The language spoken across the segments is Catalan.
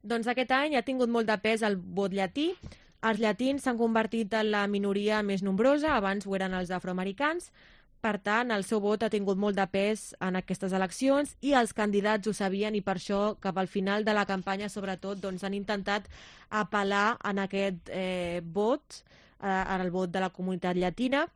Doncs aquest any ha tingut molt de pes el vot llatí. Els llatins s'han convertit en la minoria més nombrosa, abans ho eren els afroamericans. Per tant, el seu vot ha tingut molt de pes en aquestes eleccions i els candidats ho sabien, i per això cap al final de la campanya, sobretot, doncs, han intentat apel·lar en aquest vot, en el vot de la comunitat llatina.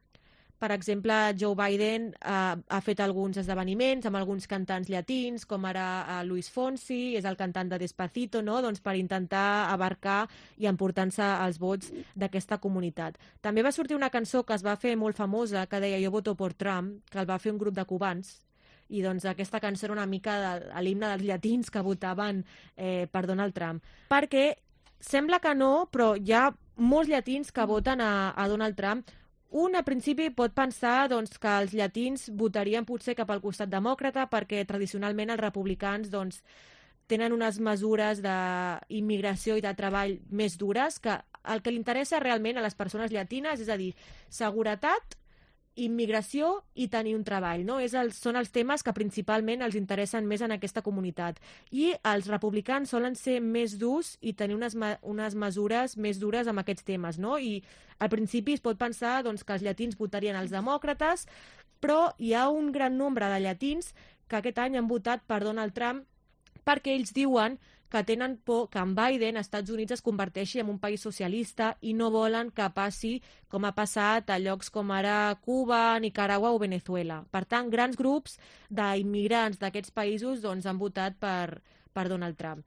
Per exemple, Joe Biden ha fet alguns esdeveniments amb alguns cantants llatins, com ara Luis Fonsi, és el cantant de Despacito, no? Doncs per intentar abarcar i emportar-se els vots d'aquesta comunitat. També va sortir una cançó que es va fer molt famosa, que deia "Jo voto por Trump", que el va fer un grup de cubans, i doncs aquesta cançó era una mica l'himne dels llatins que votaven per Donald Trump. Perquè sembla que no, però hi ha molts llatins que voten a Donald Trump. Un, a principi, pot pensar doncs, que els llatins votarien potser cap al costat demòcrata perquè tradicionalment els republicans doncs, tenen unes mesures d'immigració i de treball més dures, que el que li interessa realment a les persones llatines, és a dir, seguretat, immigració i tenir un treball, no? Són els temes que principalment els interessen més en aquesta comunitat. I els republicans solen ser més durs i tenir unes mesures més dures amb aquests temes, no? I al principi es pot pensar doncs, que els llatins votarien els demòcrates, però hi ha un gran nombre de llatins que aquest any han votat per Donald Trump perquè ells diuen que tenen por que en Biden, Estats Units, es converteixi en un país socialista i no volen que passi com ha passat a llocs com ara Cuba, Nicaragua o Venezuela. Per tant, grans grups d'immigrants d'aquests països doncs, han votat per Donald Trump.